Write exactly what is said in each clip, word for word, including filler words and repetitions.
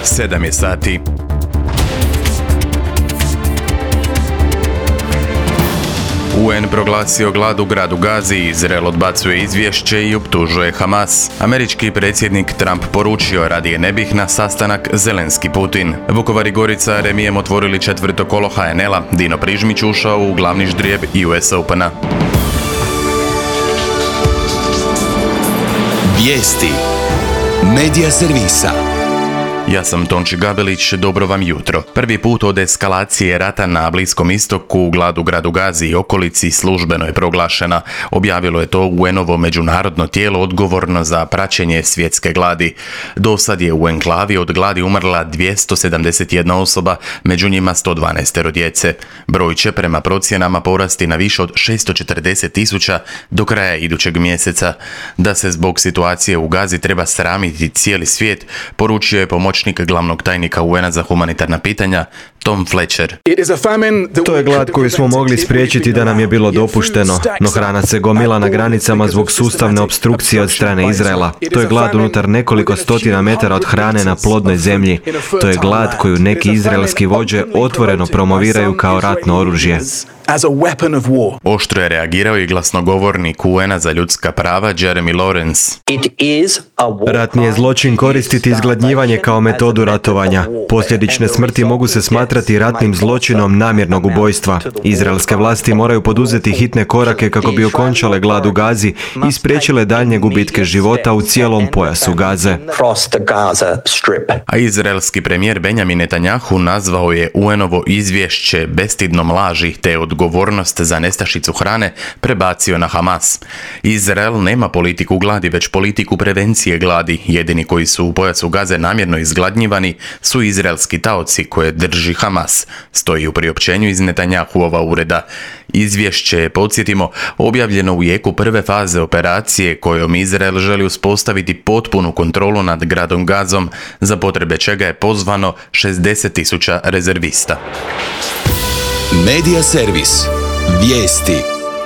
sedam je sati. U en proglasio glad u gradu Gazi, Izrael odbacuje izvješće i optužuje Hamas. Američki predsjednik Trump poručio radije ne bih na sastanak Zelenski-Putin. Vukovar i Gorica remijem otvorili četvrto kolo ha en el-a, Dino Prižmić ušao u glavni ždrijeb ju es Opena. Vijesti Medija servisa. Ja sam Tonči Gabelić, dobro vam jutro. Prvi put od eskalacije rata na Bliskom istoku glad u gradu Gazi i okolici službeno je proglašena. Objavilo je to u enovo međunarodno tijelo odgovorno za praćenje svjetske gladi. Do sad je u enklavi od gladi umrla dvjesto sedamdeset jedna osoba, među njima sto dvanaest djece. Broj će prema procjenama porasti na više od šesto četrdeset tisuća do kraja idućeg mjeseca. Da se zbog situacije u Gazi treba sramiti cijeli svijet, poručio je pomoćnik glavnog tajnika u en-a za humanitarna pitanja Tom Fletcher. To je glad koju smo mogli spriječiti da nam je bilo dopušteno, no hrana se gomila na granicama zbog sustavne opstrukcije od strane Izraela. To je glad unutar nekoliko stotina metara od hrane na plodnoj zemlji. To je glad koju neki izraelski vođe otvoreno promoviraju kao ratno oružje. Oštro je reagirao i glasnogovornik u en-a za ljudska prava Jeremy Lawrence. Ratni je zločin koristiti izgladnjivanje kao metodu ratovanja. Posljedične smrti mogu se smatrati ratnim zločinom namjernog ubojstva. Izraelske vlasti moraju poduzeti hitne korake kako bi okončale glad u Gazi i spriječile daljnje gubitke života u cijelom pojasu Gaze. A izraelski premijer Benjamin Netanjahu nazvao je u en-ovo izvješće bestidnom laži te odgovornost za nestašicu hrane prebacio na Hamas. Izrael nema politiku gladi, već politiku prevencije gladi. Jedini koji su u pojasu Gaze namjerno izgladnjivani su izraelski taoci koje drži Hamas, stoji u priopćenju iz Netanjahuova ureda. Izvješće je, podsjetimo, objavljeno u jeku prve faze operacije kojom Izrael želi uspostaviti potpunu kontrolu nad gradom Gazom, za potrebe čega je pozvano šezdeset tisuća rezervista. Medija servis. Vijesti.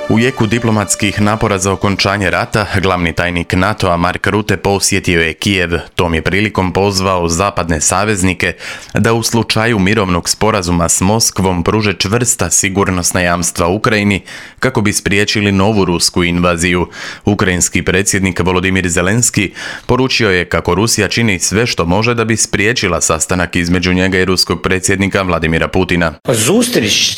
U jeku diplomatskih napora za okončanje rata, glavni tajnik NATO-a Mark Rutte posjetio je Kijev. Tom je prilikom pozvao zapadne saveznike da u slučaju mirovnog sporazuma s Moskvom pruže čvrsta sigurnosna jamstva Ukrajini kako bi spriječili novu rusku invaziju. Ukrajinski predsjednik Volodimir Zelenski poručio je kako Rusija čini sve što može da bi spriječila sastanak između njega i ruskog predsjednika Vladimira Putina.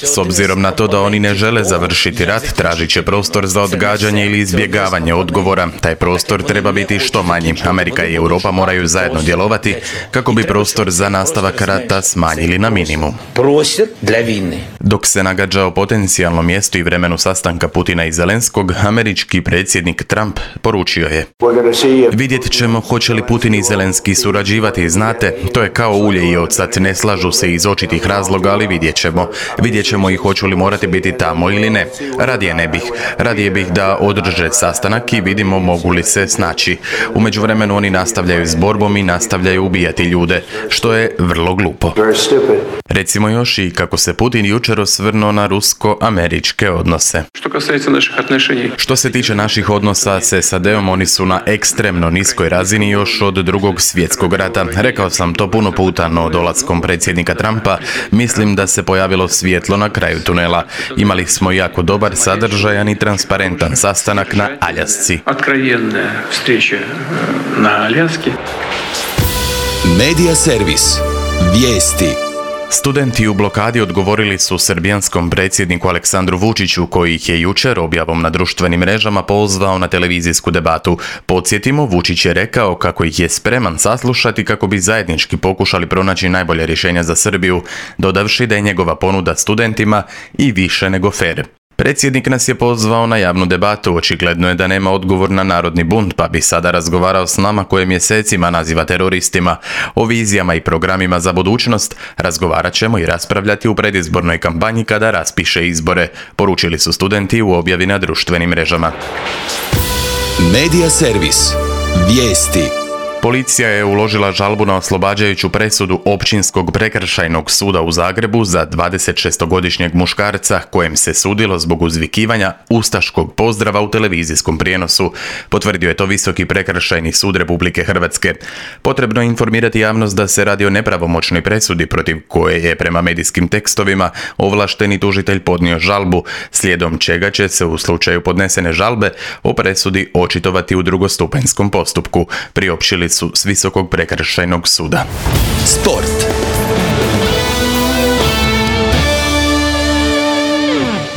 S obzirom na to da oni ne žele završiti rat, traži će prostor za odgađanje ili izbjegavanje odgovora. Taj prostor treba biti što manji. Amerika i Europa moraju zajedno djelovati kako bi prostor za nastavak rata smanjili na minimum. Dok se nagađa o potencijalnom mjestu i vremenu sastanka Putina i Zelenskog, američki predsjednik Trump poručio je: vidjet ćemo hoće li Putin i Zelenski surađivati. Znate, to je kao ulje i ocet, ne slažu se iz očitih razloga, ali vidjet ćemo. Vidjet ćemo i hoću li morati biti tamo ili ne. Radije ne bih. Radije bih da održe sastanak i vidimo mogu li se snaći. U međuvremenu oni nastavljaju s borbom i nastavljaju ubijati ljude, što je vrlo glupo. Recimo još i kako se Putin jučer osvrnuo na rusko-američke odnose. Što se tiče naših odnosa s es a de-om, oni su na ekstremno niskoj razini još od drugog svjetskog rata. Rekao sam to puno puta, no dolaskom predsjednika Trumpa mislim da se pojavilo svjetlo na kraju tunela. Imali smo jako dobar sadržajan i transparentan sastanak na Aljasci. Medija servis. Vijesti. Studenti u blokadi odgovorili su srbijanskom predsjedniku Aleksandru Vučiću, koji ih je jučer objavom na društvenim mrežama pozvao na televizijsku debatu. Podsjetimo, Vučić je rekao kako ih je spreman saslušati kako bi zajednički pokušali pronaći najbolje rješenja za Srbiju, dodavši da je njegova ponuda studentima i više nego fer. Predsjednik nas je pozvao na javnu debatu, očigledno je da nema odgovor na narodni bunt, pa bi sada razgovarao s nama koje mjesecima naziva teroristima. O vizijama i programima za budućnost razgovarat ćemo i raspravljati u predizbornoj kampanji kada raspiše izbore, poručili su studenti u objavi na društvenim mrežama. Medija servis. Vijesti. Policija je uložila žalbu na oslobađajuću presudu Općinskog prekršajnog suda u Zagrebu za dvadesetšestogodišnjeg muškarca kojem se sudilo zbog uzvikivanja ustaškog pozdrava u televizijskom prijenosu. Potvrdio je to Visoki prekršajni sud Republike Hrvatske. Potrebno je informirati javnost da se radi o nepravomoćnoj presudi protiv koje je prema medijskim tekstovima ovlašteni tužitelj podnio žalbu, slijedom čega će se u slučaju podnesene žalbe o presudi očitovati u drugostupanjskom postupku, priopćili su s Visokog prekršajnog suda. Sport.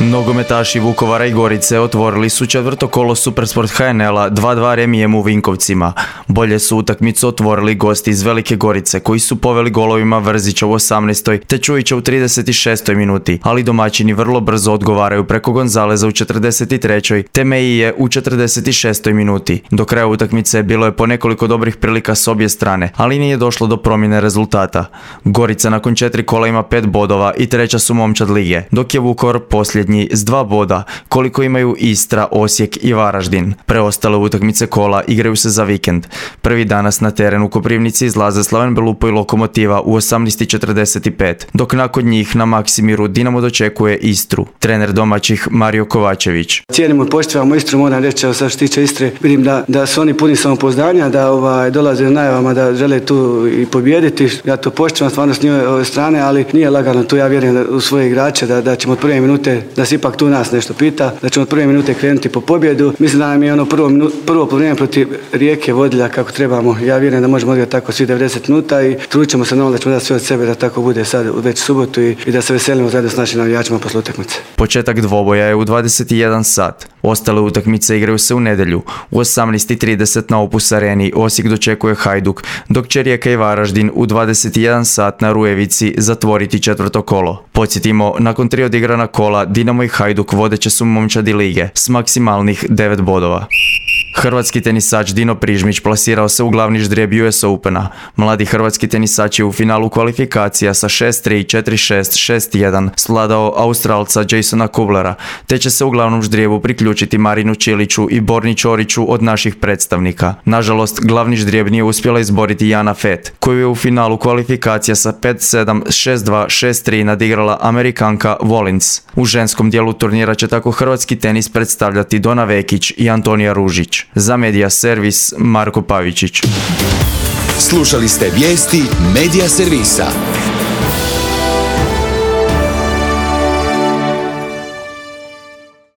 Nogometaši Vukovara i Gorice otvorili su četvrto kolo Supersport ha en el-a dva dva remijem u Vinkovcima. Bolje su utakmicu otvorili gosti iz Velike Gorice koji su poveli golovima Vrzića u osamnaestoj te Čujića u trideset šestoj minuti, ali domaćini vrlo brzo odgovaraju preko Gonzaleza u četrdeset trećoj te Meije u četrdeset šestoj minuti. Do kraja utakmice bilo je po nekoliko dobrih prilika s obje strane, ali nije došlo do promjene rezultata. Gorica nakon četiri kola ima pet bodova i treća su momčad lige, dok je Vukovar posljednji s dva boda, koliko imaju Istra, Osijek i Varaždin. Preostale utakmice kola igraju se za vikend. Prvi danas na teren u Koprivnici izlaze Slaven Belupo i Lokomotiva u osamnaest četrdeset pet, dok nakon njih na Maksimiru Dinamo dočekuje Istru. Trener domaćih Mario Kovačević. Cijenimo i poštivamo Istru, moram reći, što se tiče Istre, vidim da, da su oni puni samopouzdanja, da ovaj, dolaze na najavama da žele tu i pobijediti. Ja to poštivam stvarno s njihove strane, ali nije lagano tu, ja vjerujem u svoje igrače da, da ćemo od prve minute, da se ipak tu nas nešto pita, da ćemo od prve minute krenuti po pobjedu. Mislim da nam je ono prvo, prvo vrijeme protiv Rijeke vodilja kako trebamo. Ja vjerujem da možemo odigrati tako svi devedeset minuta i trudit ćemo se na da ćemo dati sve od sebe da tako bude sad već subotu i, i da se veselimo zajedno s našim navijačima posle utakmice. Početak dvoboja je u dvadeset jedan sat. Ostale utakmice igraju se u nedjelju. U osamnaest trideset na Opus Areni Osijek dočekuje Hajduk, dok će Rijeka i Varaždin u dvadeset jedan sat na Rujevici zatvoriti četvrto kolo. Podsjetimo, nakon tri odigrana kola Dinamo i Hajduk vodeće su momčadi lige s maksimalnih devet bodova. Hrvatski tenisač Dino Prižmić plasirao se u glavni ždrijeb U S Opena. Mladi hrvatski tenisač je u finalu kvalifikacija sa šest tri, četiri šest, šest jedan svladao Australca Jasona Kublera, te će se u glavnom ždrijebu priključiti Marinu Čiliću i Borni Ćoriću od naših predstavnika. Nažalost, glavni ždrijeb nije uspjela izboriti Jana Fett, koju je u finalu kvalifikacija sa pet sedam, šest dva, šest tri nadigrala Amerikanka Volins. U ženskom dijelu turnira će tako hrvatski tenis predstavljati Dona Vekić i Antonija Ružić. Za Medija Servis, Marko Pavičić. Slušali ste vijesti Medija Servisa.